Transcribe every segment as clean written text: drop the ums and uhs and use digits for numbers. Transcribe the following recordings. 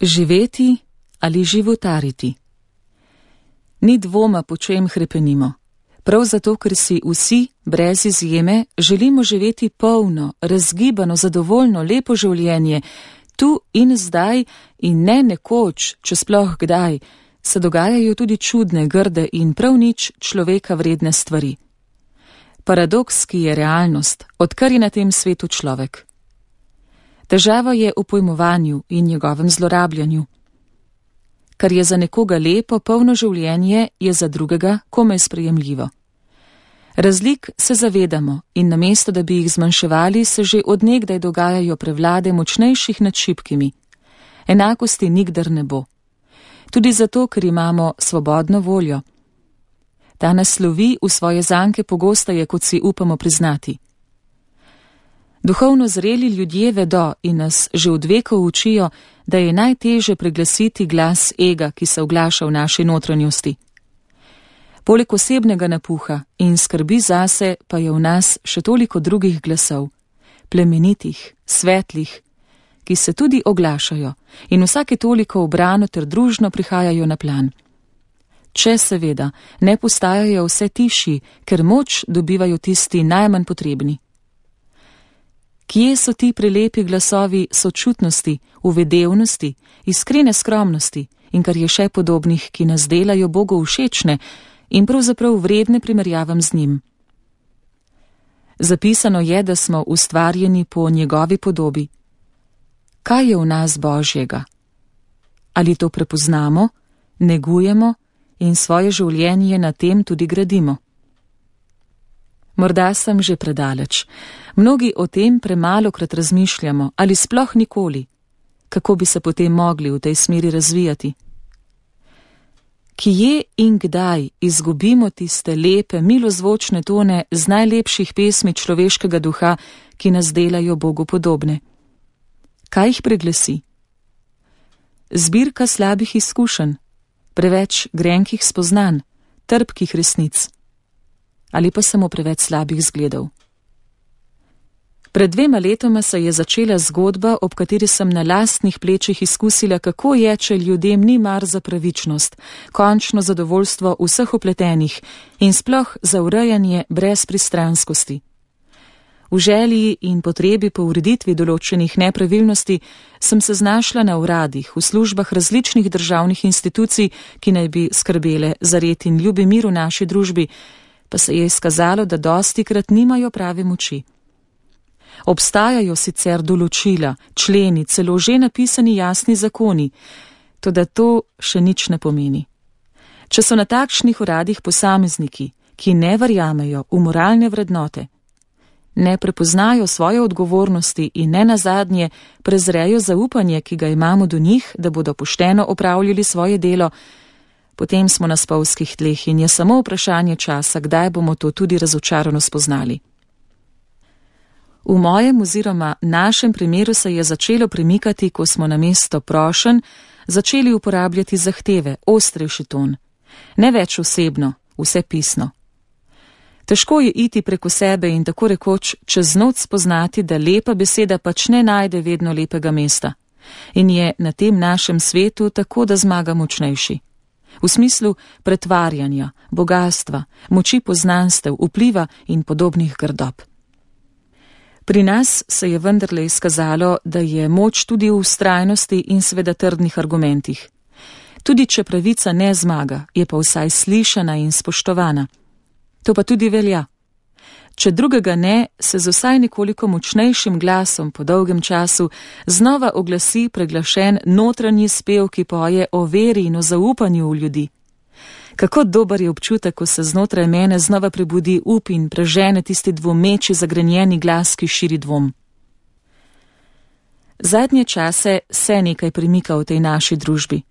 Živeti ali životariti? Ni dvoma, po čem hrepenimo. Prav zato, ker si vsi, brez izjeme, želimo živeti polno, razgibano, zadovoljno, lepo življenje, tu in zdaj in ne nekoč, če sploh kdaj, se dogajajo tudi čudne, grde in prav nič človeka vredne stvari. Paradoks, ki je realnost, odkar je na tem svetu človek. Težava je v pojmovanju in njegovem zlorabljanju. Kar je za nekoga lepo, polno življenje, je za drugega komaj sprejemljivo. Razlik se zavedamo in namesto, da bi jih zmanjševali, se že od nekdaj dogajajo prevlade močnejših nad šibkimi. Enakosti nikdar ne bo. Tudi zato, ker imamo svobodno voljo. Ta nas lovi v svoje zanke pogosteje, kot si upamo priznati. Duhovno zreli ljudje vedo in nas že od vekov učijo, da je najteže preglasiti glas ega, ki se oglaša v naši notranjosti. Poleg osebnega napuha in skrbi zase pa je v nas še toliko drugih glasov, plemenitih, svetlih, ki se tudi oglašajo in vsake toliko ubrano ter družno prihajajo na plan. Če seveda ne postajajo vse tišji, ker moč dobivajo tisti najmanj potrebni. Kje so ti prelepi glasovi sočutnosti, uvedevnosti, iskrene skromnosti in kar je še podobnih, ki nas delajo Bogu všečne in pravzaprav vredne primerjavam z njim? Zapisano je, da smo ustvarjeni po njegovi podobi. Kaj je v nas Božjega? Ali to prepoznamo, negujemo in svoje življenje na tem tudi gradimo? Morda sem že predaleč. Mnogi o tem premalokrat razmišljamo ali sploh nikoli. Kako bi se potem mogli v tej smeri razvijati? Kje in kdaj izgubimo tiste lepe, milozvočne tone z najlepših pesmi človeškega duha, ki nas delajo Bogu podobne? Kaj jih preglasi? Zbirka slabih izkušenj, preveč grenkih spoznanj, trpkih resnic. Ali pa samo preveč slabih zgledov. Pred 2 letoma se je začela zgodba, ob kateri sem na lastnih plečih izkusila, kako je, če ljudem ni mar za pravičnost, končno zadovoljstvo vseh upletenih in sploh za urejanje brez pristranskosti. V želji in potrebi po ureditvi določenih nepravilnosti sem se znašla na uradih, v službah različnih državnih institucij, ki naj bi skrbele za red in ljubi mir v naši družbi, pa se je izkazalo, da dostikrat nimajo prave moči. Obstajajo sicer določila, členi, celo že napisani jasni zakoni, toda to še nič ne pomeni. Če so na takšnih uradih posamezniki, ki ne verjamejo v moralne vrednote, ne prepoznajo svoje odgovornosti in ne nazadnje prezrejo zaupanje, ki ga imamo do njih, da bodo pošteno opravljali svoje delo, potem smo na spolzkih tleh in je samo vprašanje časa, kdaj bomo to tudi razočarano spoznali. V mojem oziroma našem primeru se je začelo premikati, ko smo namesto prošenj začeli uporabljati zahteve, ostrejši ton. Ne več osebno, vse pisno. Težko je iti preko sebe in tako rekoč čez noč spoznati, da lepa beseda pač ne najde vedno lepega mesta. In je na tem našem svetu tako, da zmaga močnejši. V smislu pretvarjanja, bogastva, moči poznanstev, vpliva in podobnih grdob. Pri nas se je vendarle izkazalo, da je moč tudi v vztrajnosti in seveda trdnih argumentih. Tudi če pravica ne zmaga, je pa vsaj slišana in spoštovana. To pa tudi velja. Če drugega ne, se z vsaj nekoliko močnejšim glasom po dolgem času znova oglasi preglašen notranji spev, ki poje o veri in o zaupanju v ljudi. Kako dober je občutek, ko se znotraj mene znova prebudi up in prežene tisti dvomeči zagrenjeni glas, ki širi dvom. Zadnje čase se nekaj premika v tej naši družbi.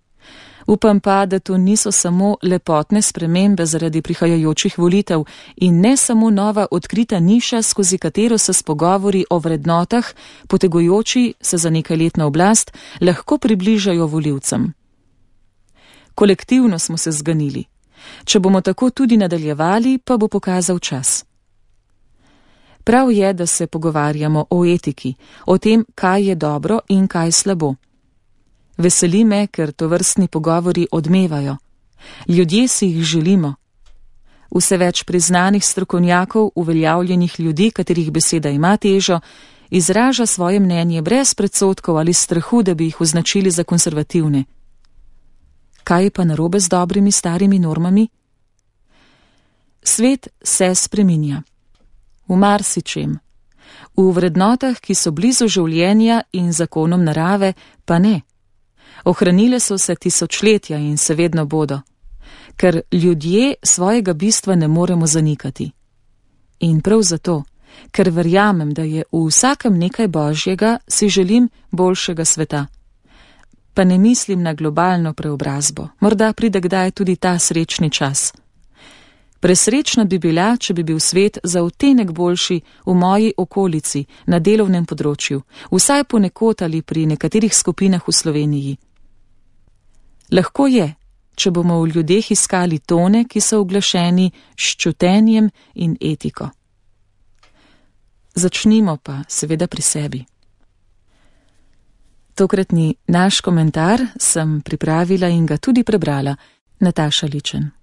Upam pa, da to niso samo lepotne spremembe zaradi prihajajočih volitev in ne samo nova odkrita niša, skozi katero se s pogovori o vrednotah, potegujoči se za nekaj let na oblast, lahko približajo volivcem. Kolektivno smo se zganili. Če bomo tako tudi nadaljevali, pa bo pokazal čas. Prav je, da se pogovarjamo o etiki, o tem, kaj je dobro in kaj slabo. Veseli me, ker tovrstni pogovori odmevajo. Ljudje si jih želimo. Vse več priznanih strokovnjakov, uveljavljenih ljudi, katerih beseda ima težo, izraža svoje mnenje brez predsodkov ali strahu, da bi jih označili za konservativne. Kaj je pa narobe z dobrimi starimi normami? Svet se spreminja. V marsičem. V vrednotah, ki so blizu življenja in zakonom narave, pa ne. Ohranile so se tisočletja in se vedno bodo, ker ljudje svojega bistva ne moremo zanikati. In prav zato, ker verjamem, da je v vsakem nekaj božjega, si želim boljšega sveta. Pa ne mislim na globalno preobrazbo, morda pride kdaj tudi ta srečni čas. Presrečna bi bila, če bi bil svet za odtenek boljši v moji okolici, na delovnem področju, vsaj ponekod ali pri nekaterih skupinah v Sloveniji. Lahko je, če bomo v ljudeh iskali tone, ki so uglašeni s čutenjem in etiko. Začnimo pa seveda pri sebi. Tokratni naš komentar sem pripravila in ga tudi prebrala, Nataša Ličen.